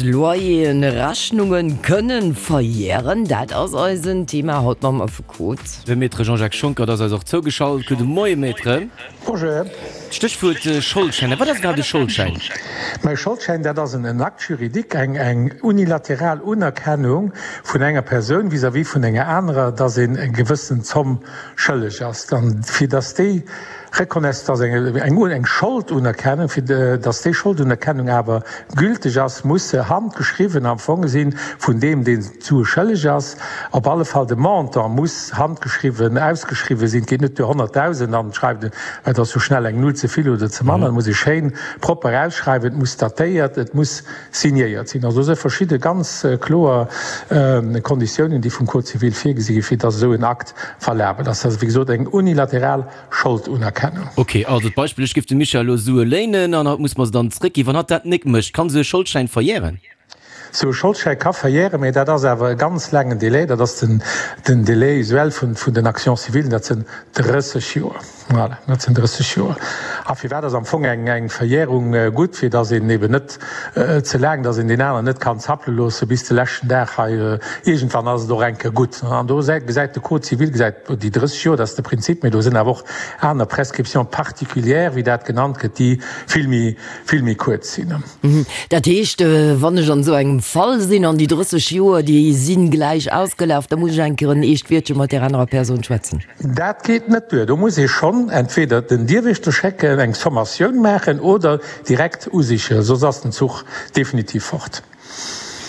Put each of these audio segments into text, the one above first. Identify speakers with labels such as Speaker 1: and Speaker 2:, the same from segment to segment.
Speaker 1: Loyeren, Rechnungen kënnen verjären, dat ass eisen Thema haut mam Affekot.
Speaker 2: De Maître Jean-Jacques Schonckert ass eis och zougeschalt. Gudde Moie Maître.
Speaker 3: Bonjour.
Speaker 2: Stéchwuert Scholdschäin. Wat ass iwwerhaapt e Scholdschäin?
Speaker 3: Ma e Scholdschäin, dat ass en Acte juridique, eng unilateral Unerkennung vun enger Persoun vis-à-vis vun enger anerer, dass een eng gewëssen Zomm schëlleg ass. An fir dass déi Reconnaissance, dass eng eng Scholdunerkennung, fir dass déi Scholdunerkennung awer gülteg ass, muss se handgeschriwwen am Fong sinn vun deem, deen d'Sue schëlleg ass. Op alle Fall de Montant muss handgeschriwwen ausgeschriwwen sinn. Et geet net duer 100.000 an et schreift een, et ass jo schnell eng Null ze vill oder ze manner. Et muss ee schéin propper ausschreiwen, et muss datéiert, et muss signéiert sinn. Also do si verschidde ganz kloer Konditiounen, déi vum Code civil virgesi ginn, fir dass esou en Akt valabel ass. Dat ass wéi gesot eng unilateral Scholdunerkennung.
Speaker 2: Ok, also d'Beispill, ech géif dem Michel elo Sue léinen an hatt muss mer se dann zréckginn. Wann hatt dat nik mécht, kann esou e Scholdschäin verjären?
Speaker 3: Esou e Scholdschäi ka verjären, mä dat ass awer e ganz laangen Délai. Dat ass den den Délai usuel vun vun den Actions civiles, dat sinn 30 Joer. Voilà, dat sinn 30 Joer. A firwat ass am Fong eng eng Verjärung gutt? Fir datt een eben net ze laang, datt een deen aneren net kann zappele loosse bis de leschten Dag hei. Iergendwann ass et och eng Kéier gutt. An do gesäit de Code civil gesäit déi 30 Joer, dat ass de Prinzip, mee do sinn awer och aner Prescriptions particulières, wéi dat genannt gëtt, déi vill méi, vill méi kuerz sinn.
Speaker 1: Dat heescht, wann ech an esou engem Fall sinn an déi 30 Joer, déi si gläich ausgelaf, da muss ech eng Kéier en eescht Wiertche mat där anerer Persoun schwätzen?
Speaker 3: Dat geet net duer. Do muss ee schonn entweder den Dierwächter schécken, eng Sommatioun maachen oder direkt usichen, soss ass den Zuch definitiv fort.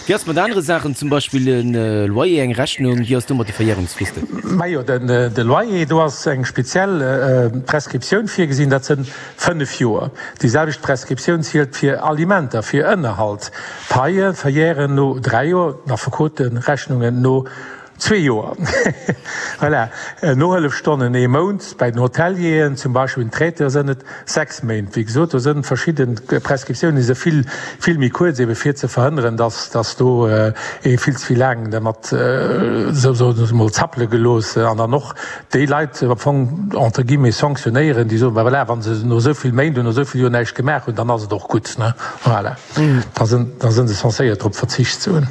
Speaker 2: Wéi ass mat anere Saachen, zum Beispill e Loyer, eng Rechnung, wéi ass do mat de Verjärungsfristen?
Speaker 3: Majo, de Loyer, do ass eng speziell Prescriptioun virgesinn, dat sënn 5 Joer. Déi selwecht Prescriptioun zielt fir Alimenter, fir Ënnerhalt. Paie verjären no 3 Joer, Affekoterechnungen no Zwee Joer. Voilà. Nohëllefstonnen ee Mount, bäi den Hotelieren zum Beispill, den Traiteure sënn et 6 Méint. Wéi gesot, do sënn verschidde Prescriptiounen, déi si vill, vill méi kuerz, ebe fir ze verhënneren, dass, dass do ee vill ze vill laang dermat, sou soen ech emol, zappele gelooss an dann och déi Leit am Fong entre guillemets sanctionnéieren, déi soen, bah voilà, wa se no esou vill Méint oder no esou vill Joer näischt gemaach hunn, dann ass et och gutt, ne. Voilà. Da sënn, da sënn se censéiert drop verzicht ze hunn.